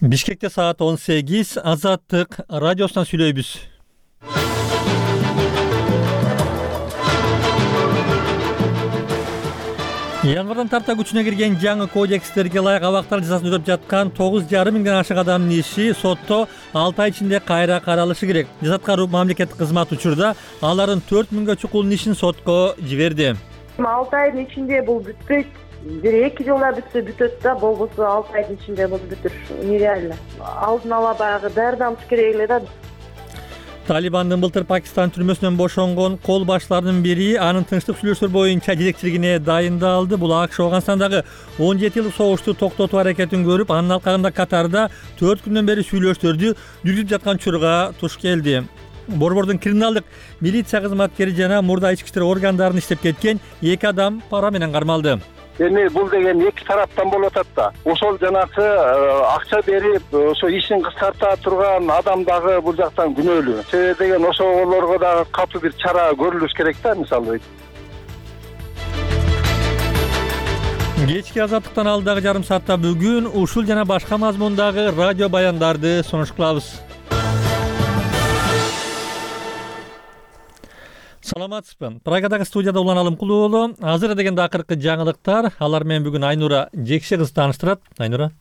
Бишкекте саат 18, Азаттык радиосунан сүйлөйбүз. Яңгырдан тарта күчүнө кирген жаңы кодекстерге ылайык абактар жазасын өтөп жаткан 9,5 миңден ашык адамдын иши сотто 6 ай ичинде кайра каралышы керек. Жазат кароо мамлекеттик кызмат учурда алардын 4 миңге чукулдун ишин сотко жиберди. 6 айдын ичинде бул бүтпөйт. Бир 2 жылда бүтсө бүтөт да, болбосо 6 айдын ичинде бул бүтүр. Нереально. Алдын ала баягы дардам керек эле да. Талибандын былтыр Пакистан түрмөсүнөн бошонгон кол башларынын бири анын тынчтык сүйлөшүүлөр боюнча жетекчилигине дайындалды. Бул АКШ Афганистандагы 17 жылдык согушту токтотуу аракетин көрүп, анын алкагында Катарда 4 күндөн бери сүйлөшүүлөрдү жүргүзүп жаткан учурга туш келди. Борбордун криминалдык милиция кызматкери жана мурда ички иштер органдарында иштеп кеткен 2 адам пара менен кармалды. Эми бул деген эки тараптан болуп атат да. Ошол жанакы акча берип, ошо ишин кыскарта турган адам дагы бул жактан күнөөлүү. Себеби деген ошолорго дагы катуу бир чара көрүлүш керек да, мисалы. Кечки Азаттыктан алдагы жарым саатта бүгүн ушул жана башка мазмундагы радио баяндарды сунуш кылабыз. Саламатсызбы? Прагадагы студияда Улан Алымкулуу уулу. Азыр дегенде акыркы жаңылыктар. Алар менен бүгүн Айнура Жекше кыз тааныштырат. Айнура.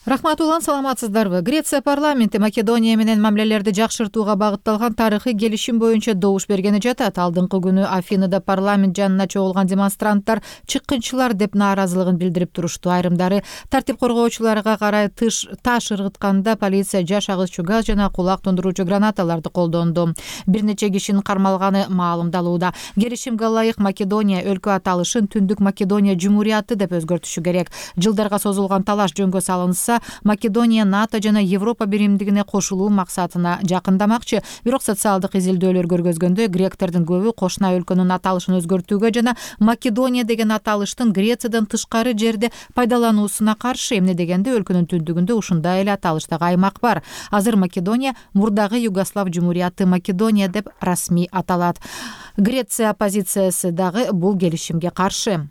Рахмат Улан, саламатсыздарбы? Греция парламенти Македония менен мамилелерди жакшыртууга багытталган тарыхый келишим боюнча добуш бергени жатат. Алдыңкы күнү Афинада парламент жанына чогулган демонстранттар чыккынчылар деп нааразылыгын билдирип турушту. Айрымдары тартип коргоочуларга карай таш ыргытканда полиция жаш агызчу газ жана кулак тундуруучу гранаталарды колдонду. Бир нече кишинин кармалганы маалымдалууда. Келишимге ылайык Македония өлкө аталышын Түндүк Македония Жумурияты деп өзгөртүшү керек. Жылдарга созулган талаш жөнгө салынса, Македония НАТО жана Европа биримдигине кошулуу максатына жакындамакчы. Бирок социалдык изилдөөлөр көргөзгөндөй, гректердин көбү кошуна өлкөнүн аталышын өзгөртүүгө жана Македония деген аталыштын Грециядан тышкары жерде пайдалануусуна каршы. Эмне дегенде өлкөнүн түндүгүндө ушундай эле аталыштагы аймак бар. Азыр Македония мурдагы Югослав Жумурияты Македония деп расмий аталат. Греция оппозициясы дагы бул келишимге каршы.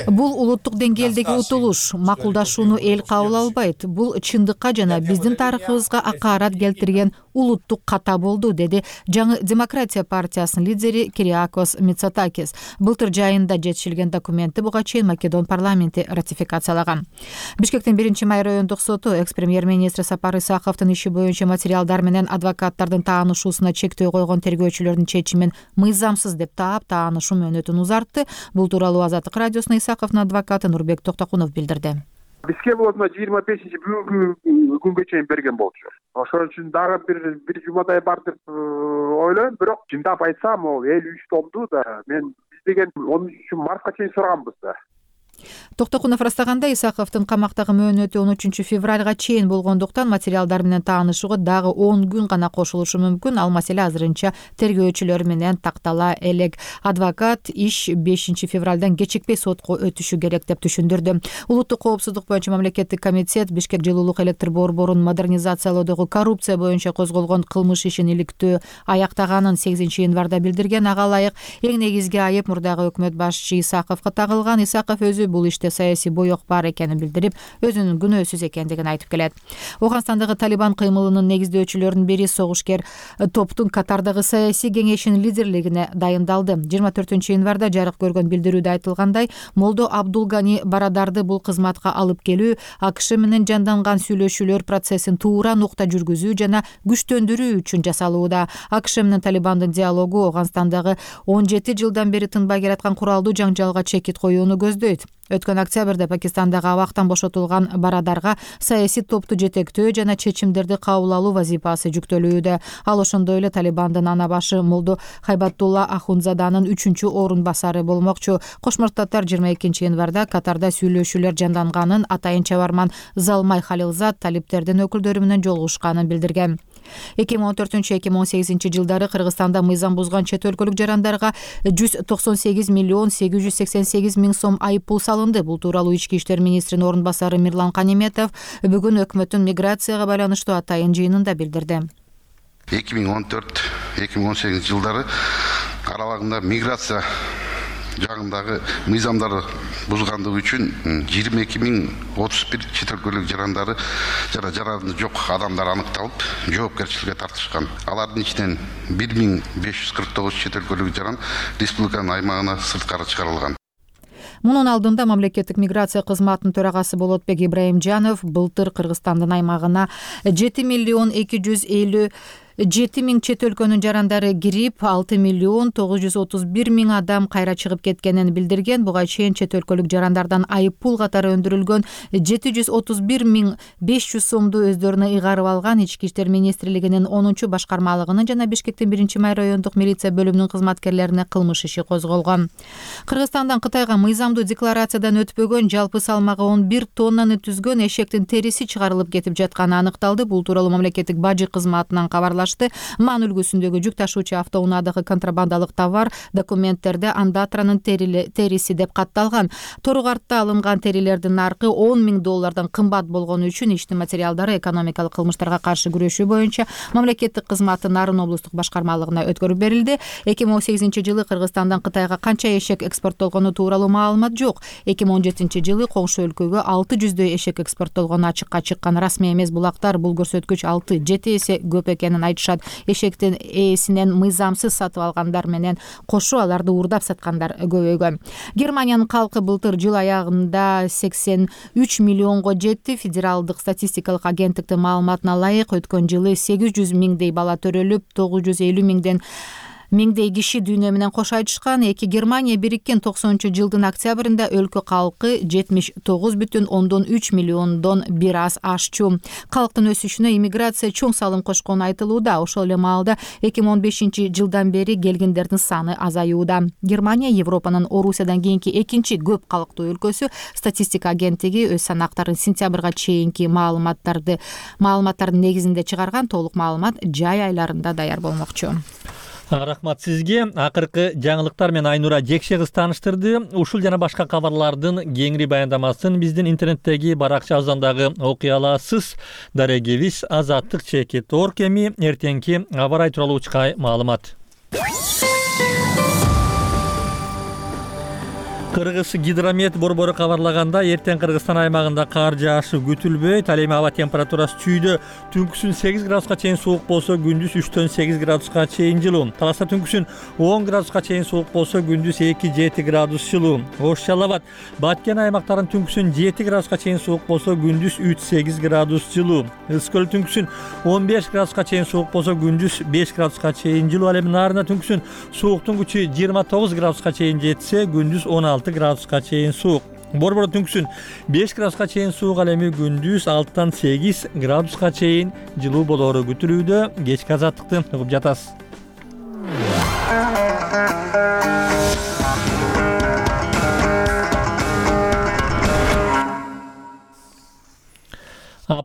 Бул улуттук деңгээлдеги утулуш, макулдашууну эл кабыл албайт. Бул чындыкка жана биздин тарыхыбызга акаарат келтирген улуттук ката болду, деди жаңы Демократия партиясынын лидери Кириакос Мицотакис. Былтыр жайында жетишилген документти буга чейин Македон парламенти ратификациялаган. Бишкектин 1-май райондук соту экс-премьер-министр Сапар Исаковдун иши боюнча материалдар менен адвокаттардын таанышуусуна чектөө койгон тергөөчүлөрдүн чечимин мыйзамсыз деп таап, таанышуу мөөнөтүн узартты. Бул тууралуу Азаттык радиосуна Исаковдун адвокаты Нурбек Токтокунов билдирди. Бизге болсо 25-чи бүгүнкү күнгө чейин берген болчу. Ошон үчүн дагы бир жумадай бар деп ойлойм, бирок чындап айтсам, ол эл үчтомду да. Мен биз деген 13-мартка чейин сураганбыз да. Токтокунов ырастаганда, Исаковдун камактагы мөөнөтү 13-февралга чейин болгондуктан материалдар менен таанышууга дагы 10 күн гана кошулушу мүмкүн. Ал маселе азырынча тергөөчүлөр менен тактала элек. Адвокат иш 5-февралдан кечикпей сотко өтүшү керек деп түшүндүрдү. Улуттук коопсуздук боюнча мамлекеттик комитет Бишкек жылуулук электр борборун модернизациялоодогу коррупция боюнча козголгон кылмыш ишин иликтөө аяктаганын 8-январда билдирген. Ага ылайык эң негизги айып мурдагы өкмөт башчы Исаковго тагылган. Исаков өзү бул иште саясий боек бар экенин билдирип, өзүнүн күнөөсүз экендигин айтып келет. Афганистандагы Талибан кыймылынын негиздөөчүлөрүнүн бири согушкер топтун Катардагы саясий кеңешинин лидерлигине дайындалды. 24-январда жарык көргөн билдирүүдө айтылгандай, Молдо Абдулгани Барадарды бул кызматка алып келүү, АКШ менен жанданган сүйлөшүүлөр процессин туура нукта жүргүзүү жана күчтөндүрүү үчүн жасалууда. АКШ менен Талибандын диалогу Афганистандагы 17 жылдан бери тынбай келаткан куралдуу жаңжалга чекит коюуну көздөйт. Өткөн октябрда Пакистандагы абактан бошотулган Барадарга саясий топту жетектөө жана чечимдерди кабыл алуу вазифасы жүктөлүүдө. Ал ошондой эле Талибандын ана башы Молдо Хайбатулла Ахунзаданын 3-орун басары болмокчу. Кошмо Штаттар 22-январда Катарда сүйлөшүүлөр жанданганын атайын чабарман Залмай Халилзад талиптердин өкүлдөрү менен жолугушканын билдирген. 2014-2018 жылдары Кыргызстанда мыйзам бузган чет өлкөлүк жарандарга 198 миллион 888 миң сом айыппул салынды. Бул тууралуу ички иштер министринин орун басары Мирлан Канеметов бүгүн өкмөттүн миграцияга байланыштуу атайын жыйынында билдирди. 2014-2018 жылдары аралыгында миграция жагындагы мыйзамдарды бузгандыгы үчүн 22.031 чет өлкөлүк жарандары жок адамдар аныкталып, жоопкерчиликке тартышкан. Алардын ичинен 1549 чет өлкөлүк жаран республиканын аймагына сырткары чыгарылган. Мунун алдында мамлекеттик миграция кызматынын төрагасы Болотбек Ибраимжанов былтыр Кыргызстандын аймагына 7.257.000 чет өлкөнүн жарандары кирип, 6.931.000 адам кайра чыгып кеткенин билдирген. Буга чейин чет өлкөлүк жарандардан айып пул катары өндүрүлгөн 731.500 сомду өздөрүнө ыйгарып алган. Ички иштер министрлигинин 10 башкармалыгынын жана Бишкектин 1-май райондук милиция бөлүмүнүн кызматкерлерине кылмыш иши козголгон. Кыргызстандан Кытайга мыйзамдуу декларациядан өтпөгөн, жалпы салмагы 11 тоннаны түзгөн эшектин териси чыгарылып кетип жатканы аныкталды. Бул тууралуу мамлекеттик бажы кызматынан кабарлашты. Ман үлгүсүндөгү жүк ташуучу автоунаадагы контрабандалык товар документтерде андатранын териси деп катталган. Торугартта алынган терилердин наркы $10.000 кымбат болгону үчүн иштин материалдары экономикалык кылмыштарга каршы күрөшүү боюнча мамлекеттик кызматтын Нарын облустук башкармалыгына өткөрүп берилди. 2018-жылы Кыргызстандан Кытайга канча эшек экспорттолгону тууралуу маалымат жок. 2017-жылы коңшу өлкөгө 600дөй эшек экспорттолгону ачыкка чыккан. Расмий эмес булактар бул көрсөткүч 6-7 эсе көп экенин айтышат. Эшектин ээсинен мыйзамсыз сатып алгандар менен кошо аларды уурдап саткандар көбөйгөн. Германиянын калкы былтыр жыл аягында 83 миллионго жетти. Федералдык статистикалык агенттиктин маалыматына ылайык, өткөн жылы 800 миңдей бала төрөлүп, 950 миңдей киши дүйнө менен кош айтышкан. Германия бириккен 90-жылдын октябрында өлкө калкы 79,3 миллиондон бир аз ашчу. Калктын өсүшүнө иммиграция чоң салым кошкону айтылууда. Ошол эле маалда 2015-жылдан бери келгендердин саны азаюуда. Германия Европанын Орусиядан кийинки экинчи көп калктуу өлкөсү. Статистика агенттиги өз санактарын сентябрга чейинки маалыматтардын негизинде чыгарган. Толук маалымат жай айларында даяр болмокчу. Рахмат сизге. Акыркы жаңылыктар менен Айнура Жекше кыз тааныштырды. Ушул жана башка кабарлардын кеңири баяндамасын биздин интернеттеги баракчабыздан дагы окуй аласыз. Дарегебиз azatlyk.org эми эртеңки аба ырайы тууралуу чыкай маалымат. Кыргыз гидромет борбору кабарлаганда, эртең Кыргызстан аймагында кар жаашы күтүлбөйт. Ал эми аба температурасы чүйдө түнкүсүн 8 градуска чейин суук болсо, күндүз 3-төн 8 градуска чейин жылуу. Таласта түнкүсүн 10 градуска чейин суук болсо, күндүз 2-7 градус жылуу. Ош Жалал Абад, Баткен аймактарын түнкүсүн 7 градуска чейин суук болсо, күндүз 3-8 градус жылуу. Ысык көл түнкүсүн 15 градуска чейин суук болсо, күндүз 5 градуска чейин жылуу. Ал эми Нарында түнкүсүн сууктун күчү 29 градуска чейин жетсе, күндүз 16 градуска чейин суук. Борбордо түнкүсүн 5 градуска чейин суук, ал эми күндүз 6-тан 8 градуска чейин жылуу болоору күтүлүүдө. Кечки азаттыкты угуп жатасыз.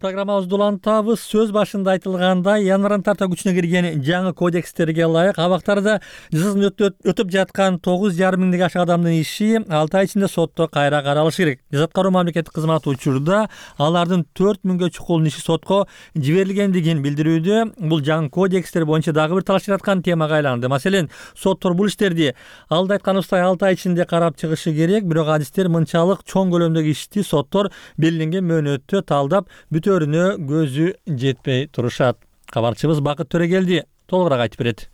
Программабызды улантабыз. Сөз башында айтылгандай, январдан тарта күчүнө кирген жаңы кодекстерге ылайык абактарда жазасын өтөп жаткан 9,5 миңден ашык адамдын иши 6 ай ичинде сотто кайра каралышы керек. Жаза аткаруу мамлекеттик кызматы учурда алардын 4 миңге чукул иши сотко жиберилгендигин билдирүүдө. Бул жаңы кодекстер боюнча дагы бир талаш жараткан темага айланды. Маселен, соттор бул иштерди алда айтканыбыздай 6 ай ичинде карап чыгышы керек. Бирок адистер мынчалык чоң көлөмдөгү ишти соттор белгиленген мөөнөттө талдап бүтөрүнө көзү жетпей турушат. Кабарчыбыз Бакыт Төрөгелди толугураак айтып берет.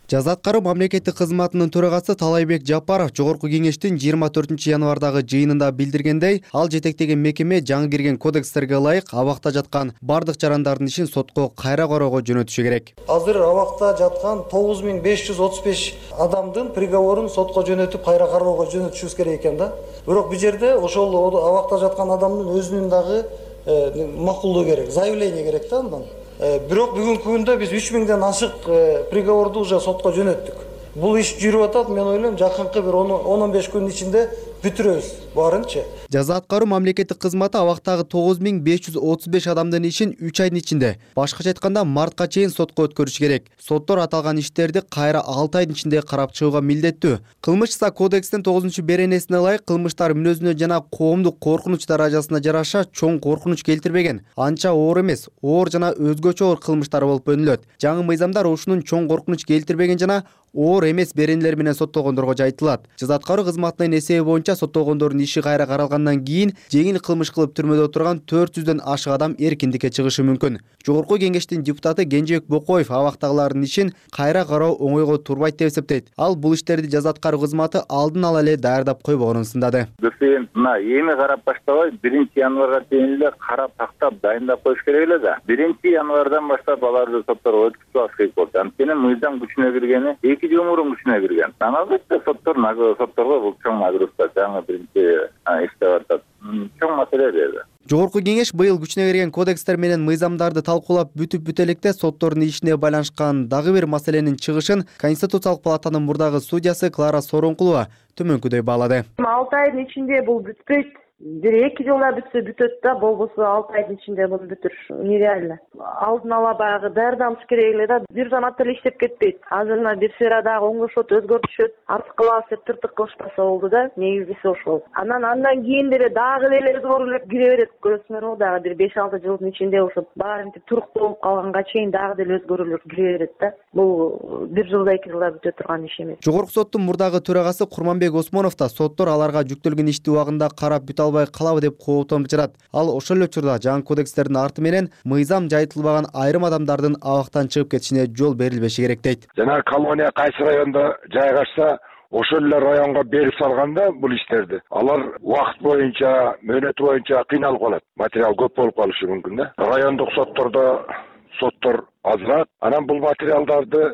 Жаза аткаруу мамлекеттик кызматынын төрагасы Талайбек Жапаров Жогорку кеңештин 24 январдагы жыйынында билдиргендей, ал жетектеген мекеме жаңы кирген кодекстерге ылайык абакта жаткан бардык жарандардын ишин сотко кайра кароого жөнөтүшү керек. Азыр абакта жаткан 9535 адамдын приговорун сотко жөнөтүп кайра кароого жөнөтүшүбүз керек экен да. Бирок бул жерде ошол абакта жаткан адамдын өзүнүн дагы макулдоо керек, заявление керек да андан. Бирок бүгүнкү күндө биз 3000ден ашык приговорду уже сотко жөнөттүк. Бул иш жүрүп атат, мен ойлойм жакынкы бир 10-15 күн ичинде бүтүрөбүз баарынчы. Жаза аткаруу мамлекеттик кызматы абактагы 9535 адамдын ишин 3 айдын ичинде, башкача айтканда мартка чейин сотко өткөрүш керек. Соттор аталган иштерди кайра 6 айдын ичинде карап чыгууга милдеттүү. Кылмыш иши кодекстин 9-беренесине ылайык кылмыштар мүнөзүнө жана коомдук коркунуч даражасына жараша чоң коркунуч келтирбеген. Анча оор эмес, оор жана өзгөчө оор кылмыштар болуп бөлүнөт. Жаңы мыйзамдар ушунун чоң коркунуч келтирбеген жана оор эмес беренелер менен соттолгондорго жайылтылат. Жаза аткаруу кызматынын эсеби боюнча соттолгондордун иши кайра каралгандан кийин жеңил кылмыш кылып түрмөдө отурган 400дөн ашык адам эркиндикке чыгышы мүмкүн. Жогорку кеңештин депутаты Кенжебек Бокоев абактагылардын ишин кайра кароо оңойго турбайт деп эсептейт. Ал бул иштерди жаза аткаруу кызматы алдын ала эле даярдап койбогонун сындады. Мына эми карап баштабай 1-январга чейин эле карап тактап дайындап коюш керек эле да. 1-январдан баштап аларды сотторго өткөзүп алыш керек болду. Анткени мыйзам күчүнө киргени 2 жыл мурун күчүнө кирген. Албетте сотторго бул чоң нагрузка жаңы биринчи иштеп атат. Чоң маселе деди. Жогорку кеңеш быйыл күчүнө кирген кодекстер менен мыйзамдарды талкуулап бүтүп электе соттордун ишине байланышкан дагы бир маселенин чыгышын Конституциялык палатанын мурдагы судьясы Клара Сооронкулова төмөнкүдөй баалады. 6 айдын ичинде бул бүтпөйт. 1-2 жылда бүтсө бүтөт да, болбосо 6 айдын ичинде бул бүтүр. Нереально. Алдын ала баягы даярданыш керек эле да, бир замат эле иштеп кетпейт. Азырына бир сферадагы оңдошот, өзгөртүшөт, артык кылабыз деп тыртык кылышпаса болду да, негизгиси ошол. Андан кийин деле дагы эле өзгөрүүлөр кире берет, көрөсүңөр, дагы бир 5-6 жылдын ичинде ошо баары туруктуу болуп калганга чейин дагы деле өзгөрүүлөр кире берет да. Бул 1 жылда 2 жылда бүтө турган иш эмес. Жогорку соттун мурдагы төрагасы Курманбек Осмонов да соттор аларга жүктөлгөн ишти убагында карап бүтө албай калабы деп кооптонуп жатат. Ал ошол эле учурда жаңы кодекстердин арты менен мыйзам жайылтылбаган айрым адамдардын абактан чыгып кетишине жол берилбеши керек дейт. Жана колония кайсы райондо жайгашса, ошол эле районго берип салганда бул иштерди алар убакыт боюнча, мөөнөтү боюнча кыйналып калат. Материал көп болуп калышы мүмкүн да. Райондук соттордо соттор азыраак. Анан бул материалдарды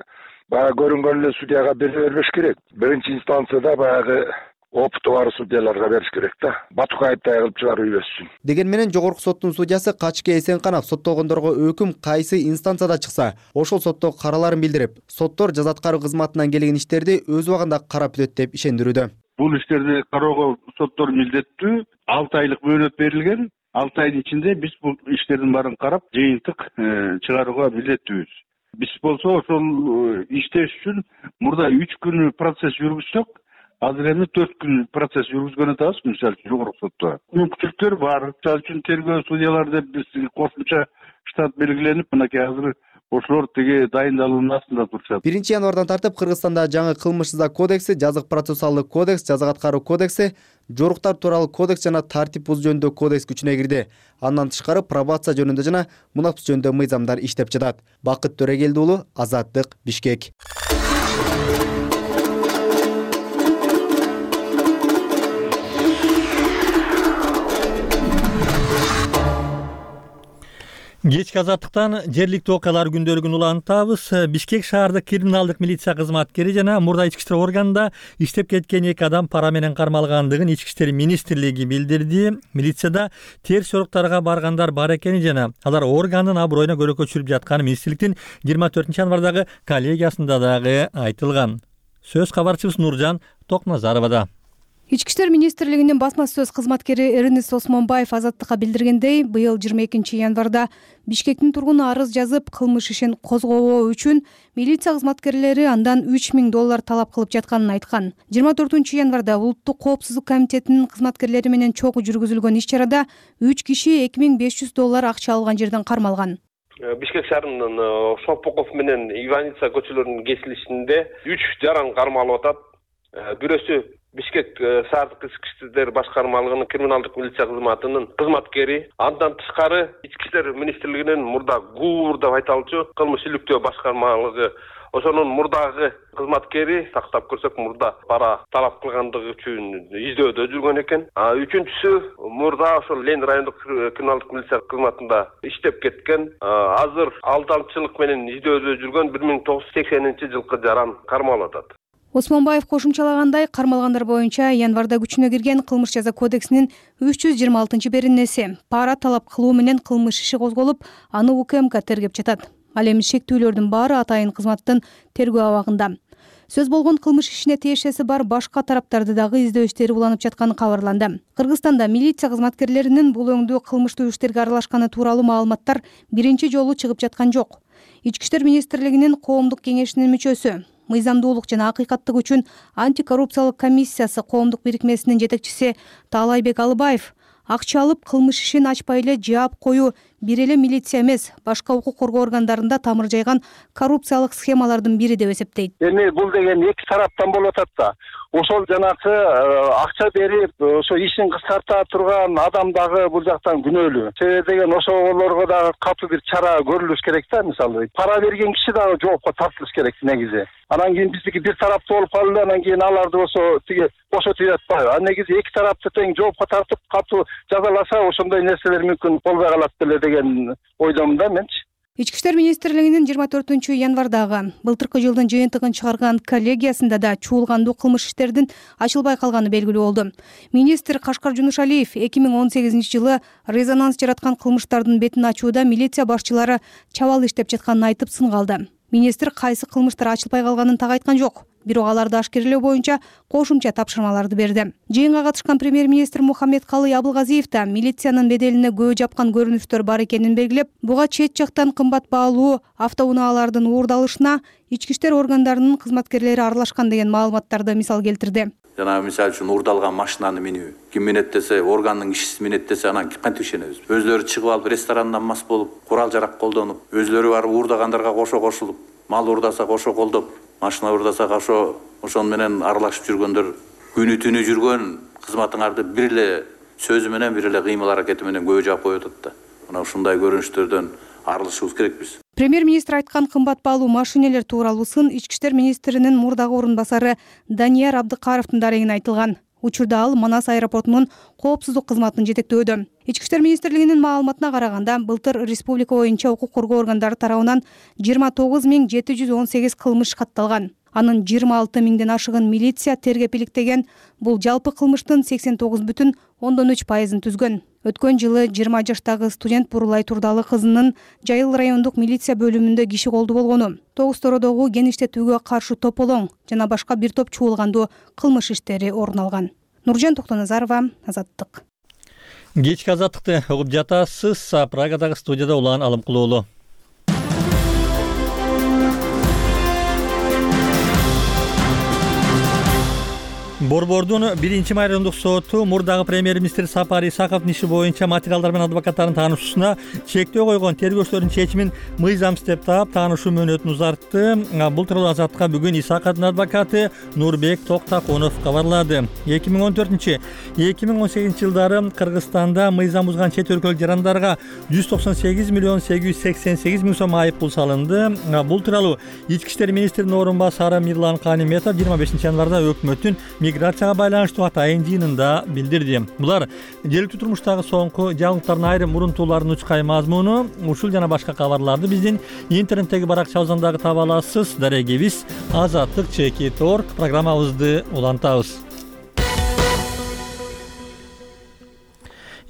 баягы көрүнгөн эле судьяга бере бербеш керек. Биринчи инстанцияда баягы опыты бар судьяларга бериш керек да. Батукаевтай кылып чыгарып үйбөссүн. Деген менен жогорку соттун судьясы Качке Эсенканов соттолгондорго өкүм кайсы инстанцияда чыкса, ошол сотто караларын билдирип, соттор жаза аткаруу кызматынан келген иштерди өз убагында карап бүтөт деп ишендирүүдө. Бул иштерди кароого соттор милдеттүү, 6 айлык мөөнөт берилген. 6 айдын ичинде биз бул иштердин баарын карап, жыйынтык чыгарууга милдеттүүбүз. Биз болсо ошол иштеш үчүн мурда 3 күн процесс жүргүзсөк, азыр эми 4 күн процесс жүргүзгөн атабыз, мисалы үчүн жогорку сотто. Мүмкүнчүлүктөр бар. Мисалы үчүн тергөө судьялар деп биз кошумча штат белгиленип, мынакей азыр ошолор тиги дайындалуунун астында турушат. 1-январдан тартып Кыргызстанда жаңы кылмыш-жаза кодекси, жазык процессуалдык кодекс, жаза аткаруу кодекси, жоруктар тууралуу кодекс жана тартип бузуу жөнүндө кодекс күчүнө кирди. Андан тышкары пробация жөнүндө жана мунапс жөнүндө мыйзамдар иштеп жатат. Бакыт Төрегелди уулу, Азаттык, Бишкек. Кечки Азаттыктан жергиликтүү окуялар күндөлүгүн улантабыз. Бишкек шаардык криминалдык милиция кызматкери жана мурда ички иштер органында иштеп кеткен 2 адам пара менен кармалгандыгын Ички иштер министрлиги билдирди. Милицияда терс жоруктарга баргандар бар экени жана алар органдын аброюна көрөкө түшүрүп жатканы министрликтин 24-январдагы коллегиясында дагы айтылган. Сөз кабарчыбыз Нуржан Токназаровада. Ички иштер министрлигинин басма сөз кызматкери Эрнест Осмонбаев Азаттыкка билдиргендей, быйыл 22-январда Бишкектин тургуну арыз жазып, кылмыш ишин козгобоо үчүн милиция кызматкерлери андан $3000 талап кылып жатканын айткан. 24-январда Улуттук коопсуздук комитетинин кызматкерлери менен чогуу жүргүзүлгөн иш-чарада 3 киши $2500 акча алган жерден кармалган. Бишкек шаарынын Шопоков менен Иваница көчөлөрүнүн кесилишинде 3 жаран кармалып атат. Бирөөсү Бишкек шаардык ички иштер башкармалыгынын криминалдык милиция кызматынын кызматкери, андан тышкары Ички иштер министрлигинин мурда ГУР деп айтылчу кылмыш иликтөө башкармалыгы, ошонун мурдагы кызматкери, сактап көрсөк мурда пара талап кылгандыгы үчүн издөөдө жүргөн экен. Үчүнчүсү мурда ошол Лен райондук криминалдык милиция кызматында иштеп кеткен, азыр алдамчылык менен издөөдө жүргөн 1980-жылкы жаран кармалып атат. Осмонбаев кошумчалагандай, кармалгандар боюнча январда күчүнө кирген кылмыш жаза кодексинин 326-беренеси пара талап кылуу менен кылмыш иши козголуп, аны УКМК тергеп жатат. Ал эми шектүүлөрдүн баары атайын кызматтын тергөө абагында. Сөз болгон кылмыш ишине тиешеси бар башка тараптарды дагы издөө иштери уланып жатканы кабарланды. Кыргызстанда милиция кызматкерлеринин бул өңдүү кылмыштуу иштерге аралашканы тууралуу маалыматтар биринчи жолу чыгып жаткан жок. Ички иштер министрлигинин коомдук кеңешинин мүчөсү, мыйзамдуулук жана акыйкаттык үчүн антикоррупциялык комиссиясы коомдук бирикмесинин жетекчиси Таалайбек Алыбаев акча алып кылмыш ишин ачпай эле жаап коюу бир эле милиция эмес, башка укук коргоо органдарында тамыр жайган коррупциялык схемалардын бири деп эсептейт. Эми бул деген эки тараптан болуп атат да. Ошол жанакы акча берип, ошо ишин кыскарта турган адам дагы бул жактан күнөөлүү. Себеби деген ошолорго дагы катуу бир чара көрүлүш керек да, мисалы. Пара берген киши дагы жоопко тартылыш керек негизи. Анан кийин биздики бир тараптуу болуп калды, анан кийин аларды болсо тиги бошотуп жатпайбы. А негизи эки тарапты тең жоопко тартып катуу жазаласа, ошондой нерселер мүмкүн болбой калат беле деген ойдомун да менчи. Ички иштер министрлигинин 24 январдагы былтыркы жылдын жыйынтыгын чыгарган коллегиясында да чуулгандуу кылмыш иштердин ачылбай калганы белгилүү болду. Министр Кашкар Жунушалиев 2018 жылы резонанс жараткан кылмыштардын бетин ачууда милиция башчылары чабал иштеп жатканын айтып сынга алды. Министр кайсы кылмыштар ачылбай калганын так айткан жок. Бирок аларды ашкерелөө боюнча кошумча тапшырмаларды берди. Жыйынга катышкан премьер-министр Мухаммедкалый Абылгазиев да милициянын беделине көө жапкан көрүнүштөр бар экенин белгилеп, буга чет жактан кымбат баалуу автоунаалардын уурдалышына ички иштер органдарынын кызматкерлери аралашкан деген маалыматтарды мисал келтирди. Жана мисалы үчүн уурдалган машинаны минүү, ким минет десе, органдын кишиси минет десе, анан кантип ишенебиз? Өзлөрү чыгып алып ресторандан мас болуп, курал жарак колдонуп, өзлөрү барып уурдагандарга кошо кошулуп, мал уурдаса кошо колдоп, машина уурдаса ошон менен аралашып жүргөндөр, күнү түнү жүргөн кызматыңарды бир эле сөзү менен, бир эле кыймыл аракети менен көө жаап коюп атат да. Мына ушундай көрүнүштөрдөн арылышыбыз керекпиз. Премьер-министр айткан кымбат баалуу машинелер тууралуу сын ички иштер министринин мурдагы орун басары Данияр Абдыкаровдун дарегине айтылган. Учурда ал Манас аэропортунун коопсуздук кызматын жетектөөдө. Ички иштер министрлигинин маалыматына караганда, былтыр республика боюнча укук коргоо органдары тарабынан 29718 кылмыш катталган. Анын 26 миңден ашыгын милиция тергеп иликтеген. Бул жалпы кылмыштын 89,3%-ын түзгөн. Өткөн жылы 20 жаштагы студент Бурулай Турдалы кызынын Жайыл райондук милиция бөлүмүндө киши колду болгону, Тогустородогу кен иштетүүгө каршы тополоң жана башка бир топ чуулгандуу кылмыш иштери орун алган. Нуржан Токтоназарова, Азаттык. Кечки азаттыкты угуп жатасыз. Прагадагы студияда Улан Алымкулуулу. Борбордун 1 райондук соту мурдагы премьер-министр Сапар Исаковдун иши боюнча материалдар менен адвокаттардын таанышуусуна чектөө койгон тергөөчүлөрдүн чечимин мыйзамсыз деп таап таанышуу мөөнөтүн узартты. Бул тууралуу Азаттыкка бүгүн Исаковдун адвокаты Нурбек Токтакунов кабарлады. 2014-2018 жылдары Кыргызстанда мыйзам бузган чет өлкөлүк жарандарга 198 миллион 888 миң сом айып пул салынды. Бул тууралуу ички иштер министринин орун басары Мирлан Каниметов 25 январда өкмөттүн миграцияга байланыштуу атайын жыйынында билдирди. Булар жергиликтүү турмуштагы соңку жаңылыктардын айрым мурунтууларын учкай мазмуну, ушул жана башка кабарларды биздин интернеттеги баракчабыздан дагы таба аласыз. Дарегибиз azattik.org программабызды улантабыз.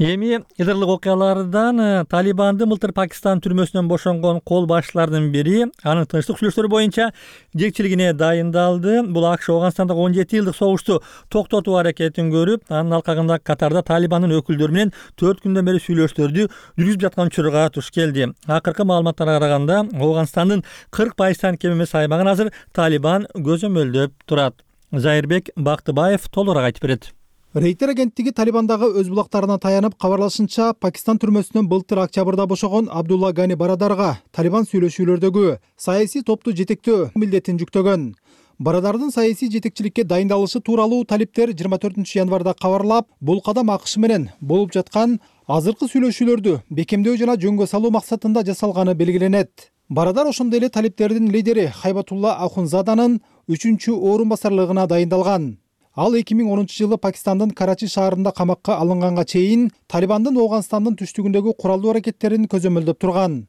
Эми Идырлык окуялардан Талибандын былтыр Пакистан түрмөсүнөн бошонгон кол башчылардын бири анын тынчтык сүйлөштөрү боюнча жетекчилигине дайындалды. Бул АКШ Афганстандагы 17 жылдык согушту токтотуу аракетин көрүп, анын алкагында Катарда Талибандын өкүлдөрү менен 4 күндөн бери сүйлөштөрдү жүргүзүп жаткан учурга туш келди. Акыркы маалыматтарга караганда, Афганстандын 40% кем эмес аймагын азыр Талибан көзөмөлдөп турат. Зайырбек Бактыбаев толугураак айтып берет. Рейтер агенттиги Талибандагы өз булактарына таянып кабарлашынча, Пакистан түрмөсүнөн былтыр октябрда бошогон Абдулла Гани Барадарга Талибан сүйлөшүүлөрдөгү саясий топту жетектөө милдетин жүктөгөн. Барадардын саясий жетекчиликке дайындалышы тууралуу талиптер 24 январда кабарлап, бул кадам АКШ менен болуп жаткан азыркы сүйлөшүүлөрдү бекемдөө жана жөнгө салуу максатында жасалганы белгиленет. Барадар ошондой эле талиптердин лидери Хайбатулла Ахунзаданын 3-орун басарлыгына дайындалган. Ал 2010 жылы Пакистандын Карачи шаарында камакка алынганга чейин Талибандын Афганстандын түштүгүндөгү куралдуу аракеттерин көзөмөлдөп турган.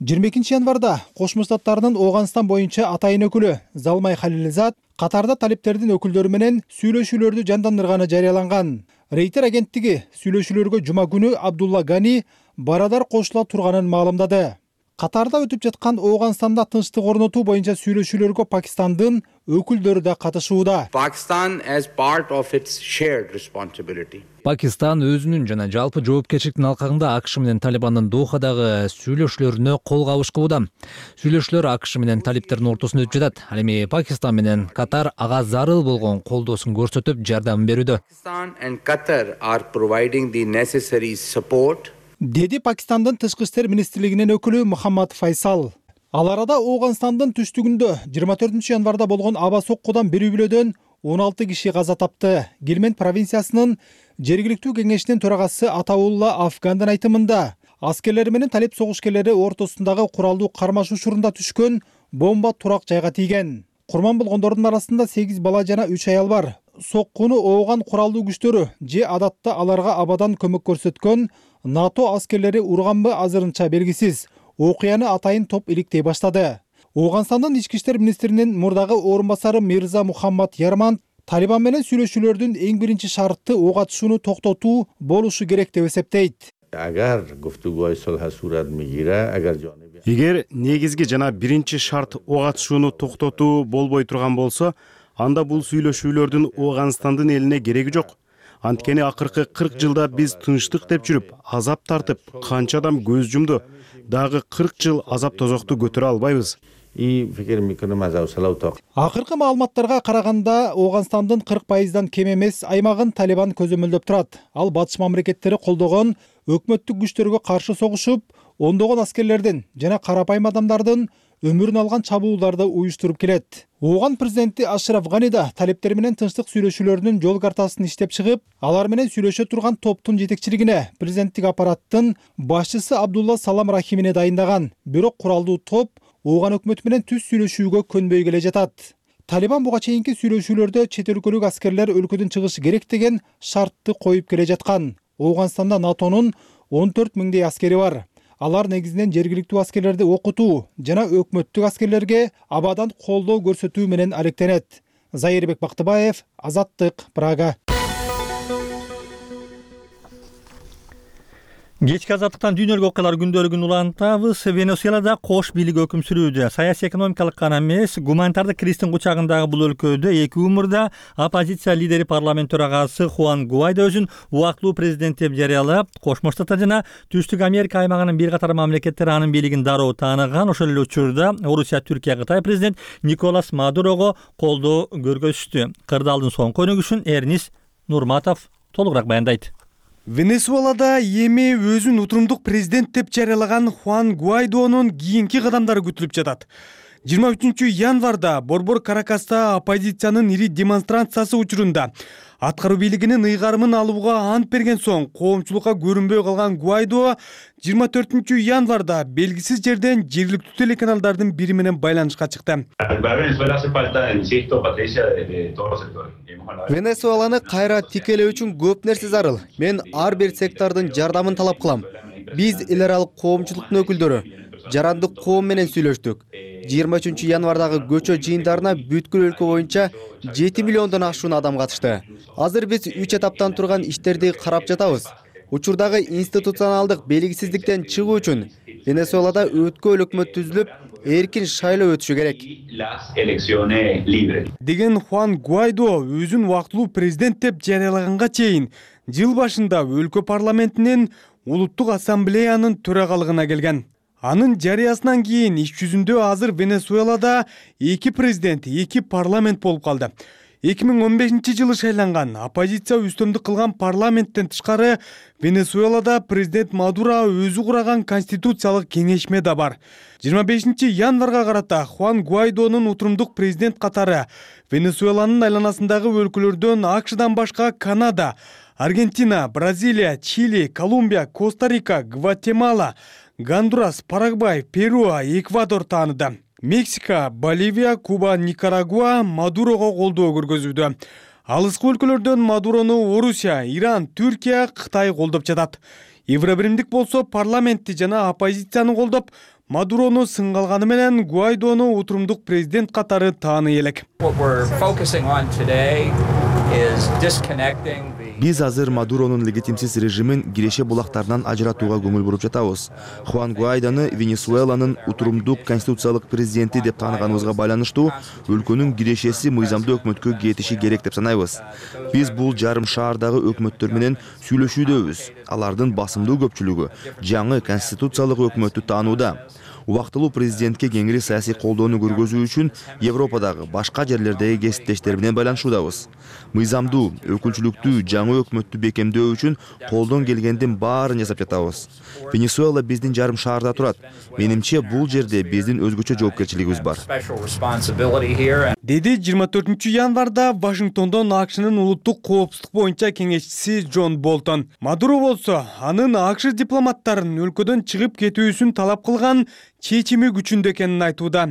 22 январда Кошмо Штаттарынын Афганстан боюнча атайын өкүлү Залмай Халилзад Катарда талиптердин өкүлдөрү менен сүйлөшүүлөрдү жандандырганы жарыяланган. Рейтер агенттиги сүйлөшүүлөргө жума күнү Абдулла Гани Барадар кошула турганын маалымдады. Катарда өтүп жаткан Афганстанда тынчтык орнотуу боюнча сүйлөшүүлөргө Пакистандын өкүлдөрү да катышууда. Пакистан өзүнүн жана жалпы жоопкерчиликтин алкагында АКШ менен Талибандын Дохадагы сүйлөшүүлөрүнө кол кабышкууда. Сүйлөшүүлөр АКШ менен талиптердин ортосунда өтүп жатат. Ал эми Пакистан менен Катар ага зарыл болгон колдоосун көрсөтүп, жардам берүүдө. деди Пакистандын тышкы иштер министрлигинин өкүлү Мухаммад Файсал. Ал арада Ооганстандын түштүгүндө 24 январда болгон аба соккудан бир үй бүлөдөн 16 киши каза тапты. Гельмент провинциясынын жергиликтүү кеңешинин төрагасы Атаулла Афгандын айтымында, аскерлер менен талип согушкерлери ортосундагы куралдуу кармаш учурунда түшкөн бомба турак жайга тийген. Курман болгондордун арасында 8 бала жана 3 аял бар. Соккуну ооган куралдуу күчтөрү же адатта аларга абадан көмөк көрсөткөн НАТО аскерлери урганбы азырынча белгисиз. Окуяны атайын топ иликтей баштады. Ооганстандын ички иштер министринин мурдагы орун басары Мирза Мухаммад Ярман Талибан менен сүйлөшүүлөрдүн эң биринчи шарты ок атышууну токтотуу болушу керек деп эсептейт. Эгер негизги жана биринчи шарт ок атышууну токтотуу болбой турган болсо, анда бул сүйлөшүүлөрдүн Ооганстандын элине кереги жок. Анткени акыркы 40 жылда биз тынчтык деп жүрүп, азап тартып, канча адам көз жумду. Дагы 40 жыл азап тозокту көтөрө албайбыз. Акыркы маалыматтарга караганда, Ооганстандын 40% кем эмес аймагын Талибан көзөмөлдөп турат. Ал батыш мамлекеттери колдогон өкмөттүк күчтөргө каршы согушуп, ондогон аскерлердин жана карапайым адамдардын өмүрүн алган чабуулдарды уюштуруп келет. Ооган президенти Ашраф Гани да талиптер менен тынчтык сүйлөшүүлөрүнүн жол картасын иштеп чыгып, алар менен сүйлөшө турган топтун жетекчилигине президенттик аппараттын башчысы Абдулла Салам Рахимине дайындаган. Бирок куралдуу топ Ооган өкмөтү менен түз сүйлөшүүгө көнбөй келе жатат. Талибан буга чейинки сүйлөшүүлөрдө чет өлкөлүк аскерлер өлкөдөн чыгышы керек деген шартты коюп келе жаткан. Ооганстанда НАТОнун 14 миңдей аскери бар. Алар негизинен жергиликтүү аскерлерди окутуу жана өкмөттүк аскерлерге абадан колдоо көрсөтүү менен алектенет. Зайырбек Бактыбаев, Азаттык, Прага. Кечки азаттыктан дүйнөлүк окуялар күндөлүгүн улантабыз. Венесуэлада кош бийлик өкүм сүрүүдө. Саясий экономикалык гана эмес, гуманитардык кризистин кучагындагы бул өлкөдө 2 умурда оппозиция лидери парламент төрагасы Хуан Гуайдо өзүн убактылуу президент деп жарыялап, Кошмо Штаттар жана Түштүк Америка аймагынын бир катар мамлекеттери анын бийлигин дароо тааныган. Ошол эле учурда Орусия, Түркия, Кытай президент Николас Мадурого колдоо көргөзүштү. Кырдаалдын соңку өнүгүшүн Эрнис Нурматов толугураак баяндайт. Венесуэлада эми өзүн утурумдук президент деп жарыялаган Хуан Гуайдонун кийинки кадамдары күтүлүп жатат. 23 январда Борбор Каракаста оппозициянын ири демонстрациясы учурунда аткаруу бийлигинин ыйгарымын алууга ант берген соң коомчулукка көрүнбөй калган Гуайдо 24 январда белгисиз жерден жергиликтүү телеканалдардын бири менен байланышка чыкты. Венесуэланы кайра тикелөө үчүн көп нерсе зарыл. Мен ар бир сектордун жардамын талап кылам. Биз эл аралык коомчулуктун өкүлдөрү жарандык коом менен сүйлөштүк. 23 январдагы көчө жыйындарына бүткүл өлкө боюнча 7 миллиондон ашуун адам катышты. Азыр биз 3 этаптан турган иштерди карап жатабыз. Учурдагы институционалдык белгисиздиктен чыгуу үчүн Венесуэлада өткөл өкмөт түзүлүп, эркин шайлоо өтүшү керек деген Хуан Гуайдо өзүн убактылуу президент деп жарыялаганга чейин жыл башында өлкө парламентинин улуттук ассамблеянын төрагалыгына келген. Анын жарыясынан кийин иш жүзүндө азыр Венесуэлада 2 президент, 2 парламент болуп калды. 2015-жылы шайланган оппозиция үстөмдүк кылган парламенттен тышкары Венесуэлада президент Мадуро өзү кураган конституциялык кеңешме да бар. 25 январга карата Хуан Гуайдонун утурумдук президент катары Венесуэланын айланасындагы өлкөлөрдөн АКШдан башка Канада, Аргентина, Бразилия, Чили, Колумбия, Коста-Рика, Гватемала, Гондурас, Парагвай, Перу, Эквадор тааныды. Мексика, Боливия, Куба, Никарагуа Мадурого колдоо көргөзүүдө. Алыскы өлкөлөрдөн Мадурону Орусия, Иран, Түркия, Кытай колдоп жатат. Евробиримдик болсо парламентти жана оппозицияны колдоп, Мадурону сынгалганы менен Гуайдону утурумдук президент катары тааный элек. Биз азыр Мадуронун легитимсиз режимин киреше булактарынан ажыратууга көңүл буруп жатабыз. Хуан Гуайдону Венесуэланын утурумдук конституциялык президенти деп тааныганыбызга байланыштуу өлкөнүн кирешеси мыйзамдуу өкмөткө кетиши керек деп санайбыз. Биз бул жарым шаардагы өкмөттөр менен сүйлөшүүдөбүз. Алардын басымдуу көпчүлүгү жаңы конституциялык өкмөттү таанууда. убактылуу президентке кеңири саясий колдоону көргөзүү үчүн Европадагы башка жерлердеги кесиптештер менен байланышуудабыз. Мыйзамдуу, өкүлчүлүктүү жаңы өкмөттү бекемдөө үчүн колдон келгендин баарын жасап жатабыз. Венесуэла биздин жарым шаарда турат. Менимче бул жерде биздин өзгөчө жоопкерчилигибиз бар. Деди 24 январда Вашингтондон АКШнын улуттук коопсуздук боюнча кеңешчиси Джон Болтон. Мадуро болсо, анын АКШ дипломаттарын өлкөдөн чыгып кетүүсүн талап кылган чечими күчүндө экенин айтууда.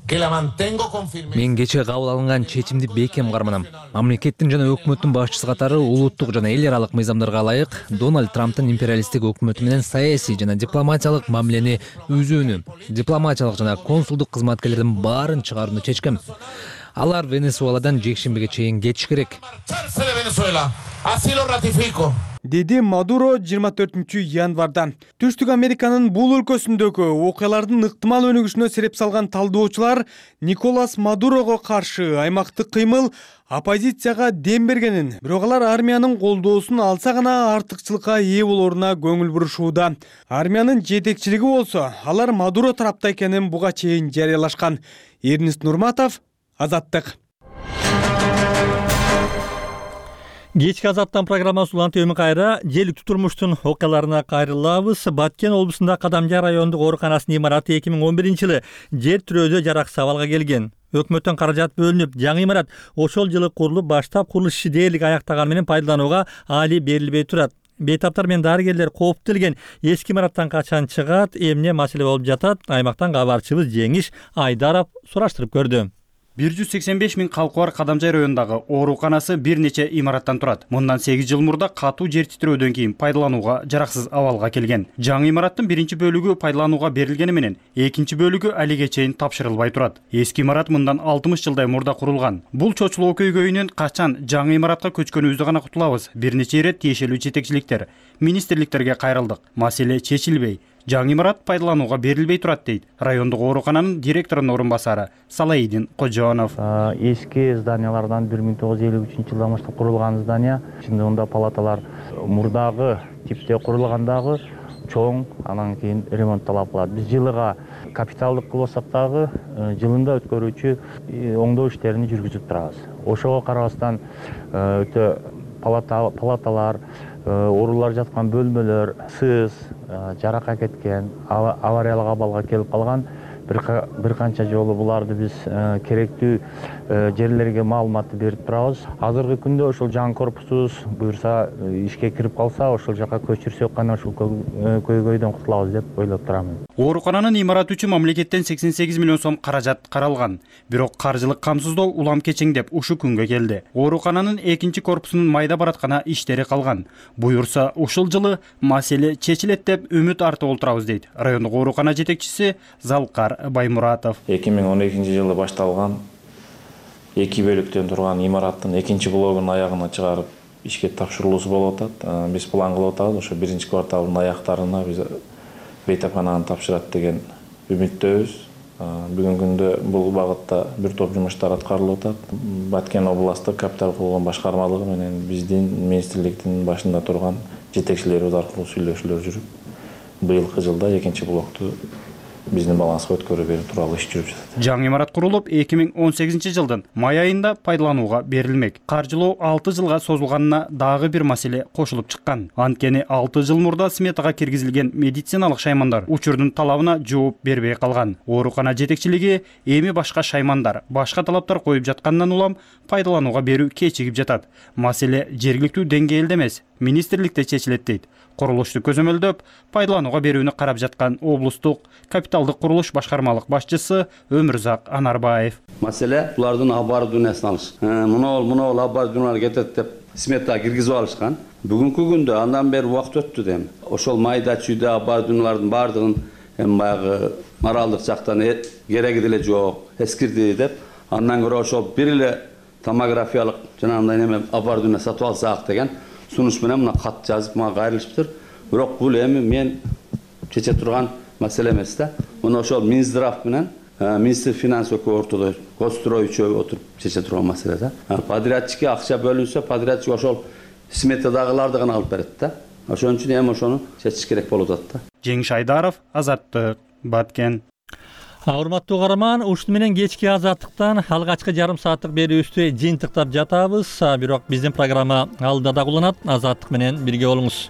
Мен кечээ кабыл алынган чечимди бекем карманам. Мамлекеттин жана өкмөттүн башчысы катары улуттук жана эл аралык мыйзамдарга ылайык Дональд Трамптын империалисттик өкмөтү менен саясий жана дипломатиялык мамилени үзүүнү, дипломатиялык жана консулдук кызматкерлердин баарын чыгарууну чечкем. Алар Венесуэладан жекшембиге чейин кетиш керек. Деди Мадуро 24 январда. Түштүк Американын бул өлкөсүндөгү окуялардын ыктымал өнүгүшүнө сереп салган талдоочулар Николас Мадурого каршы аймактык кыймыл оппозицияга дем бергенин, бирок алар армиянын колдоосун алса гана артыкчылыкка ээ болоруна көңүл бурушууда. Армиянын жетекчилиги болсо, алар Мадуро тарапта экенин буга чейин жарыялашкан. Эрнест Нурматов, Азаттык. Кечки Азаттан программасы улантып кайра желиктүү турмуштун окуяларына кайрылабыз. Баткен облусунда Кадамжай райондук ооруканасынын имараты 2011-жылы жер тирөөдө жараксыз абалга келген. Өкмөттөн каражат бөлүнүп, жаңы имарат ошол жылы курулуп, баштап курулуш иши дээрлик аяктаган менен пайдаланууга али берилбей турат. Бейтаптар менен дарыгерлер кооптолген эски имараттан качан чыгат, эмне маселе болуп жатат? Аймактан кабарчыбыз Жеңиш Айдаров сураштырып көрдү. 185 миң калкы бар Кадамжай районундагы ооруканасы бир нече имараттан турат. Мындан 8 жыл мурда катуу жер титирөөдөн кийин пайдаланууга жараксыз абалга келген. Жаңы имараттын биринчи бөлүгү пайдаланууга берилгени менен, экинчи бөлүгү алиге чейин тапшырылбай турат. Эски имарат мындан 60 жылдай мурда курулган. Бул чочулоо көйгөйүнөн качан жаңы имаратка көчкөнүбүздү гана кутулабыз. Бир нече ирет тиешелүү жетекчиликтер, министрликтерге кайрылдык. Маселе чечилбей, жаңы имарат пайдаланууга берилбей турат дейт райондук оорукананын директорунун орун басары Салаидин Кожонов. Эски зданиялардан 1953-жылдан баштап курулган здания, чындыгында палаталар мурдагы типте курулгандагы чоң, анан кийин ремонтталып калат. Биз жылыга капиталдык кылсак дагы жылында өткөрүүчү оңдоо иштерин жүргүзүп турабыз. Ошого карабастан өтө палаталар, оорулар жаткан бөлмөлөр, сыз, жаракка кеткен, авариялык абалга келип калган. Бир канча жолу буларды биз керектүү жерлерге маалыматты берип турабыз. Азыркы күндө ошол жаңы корпусубуз буюрса ишке кирип калса, ошол жака көчүрсөк гана ушул көйгөйдөн кутулабыз деп ойлоп турам. Оорукананын имараты үчүн мамлекеттен 88 миллион сом каражат каралган. Бирок каржылык камсыздоо улам кечеңдеп ушу күнгө келди. Оорукананын экинчи корпусунун майда бараткана иштери калган. Буюрса ушул жылы маселе чечилет деп үмүт артып отурабыз дейт райондук оорукана жетекчиси Залкар Баймуратов. 2012-жылы башталган 2 бөлүктөн турган имараттын экинчи блогун аягына чыгарып ишке тапшырылуусу болуп атат. Биз план кылып атабыз, ошо биринчи кварталдын аяктарына биз бейтапкананы тапшырат деген үмүттөбүз. Бүгүнкү күндө бул багытта бир топ жумуштар аткарылып атат. Баткен областтык капитал курулган башкармалыгы менен биздин министрликтин башында турган жетекчилерибиз аркылуу сүйлөшүүлөр жүрүп, быйылкы жылда экинчи блокту биздин баланска өткөрүү берүү тууралуу иш жүрүп жатат. Жаңы имарат курулуп 2018 жылдын май айында пайдаланууга берилмек. Каржылоо 6 жылга созулганына дагы бир маселе кошулуп чыккан. Анткени 6 жыл мурда сметага киргизилген медициналык шаймандар учурдун талабына жооп бербей калган. Оорукана жетекчилиги эми башка шаймандар, башка талаптар коюп жаткандан улам пайдаланууга берүү кечигип жатат. Маселе жергиликтүү деңгээлде эмес, министрликте чечилет дейт. Курулушту көзөмөлдөп, пайдаланууга берүүнү карап жаткан облустук капиталдык курулуш башкармалык башчысы Өмүрзак Анарбаев. Маселе булардын оборудованиясын алыш. Мына оборудованиялар кетет деп сметага киргизип алышкан. Бүгүнкү күндө андан бери убакыт өттү дейм. Ошол майда чүйдө оборудованиялардын бардыгын баягы моралдык жактан кереги деле жок, эскирди деп, андан көрө ошол бир эле томографиялык жанагындай неме оборудование сатып алсак деген сунуш менен мына кат жазып мага кайрылышыптыр. Бирок бул эми мен чече турган маселе эмес да. Мына ошол Минздрав менен министр финанс өкмөт ортодо Госстрой үчөө отуруп чече турган маселе да. Подрядчикке акча бөлүнсө, подрядчик ошол сметадагыларды гана алып берет да. ошон үчүн эми ошону чечиш керек болуп атат да. Жеңиш Айдаров, Азаттык, Баткен. Урматтуу каарман, ушуну менен кечки Азаттыктан алгачкы жарым сааттык берүүбүздү жыйынтыктап жатабыз. Бирок биздин программа алдыда да уланат. Азаттык менен бирге болуңуз.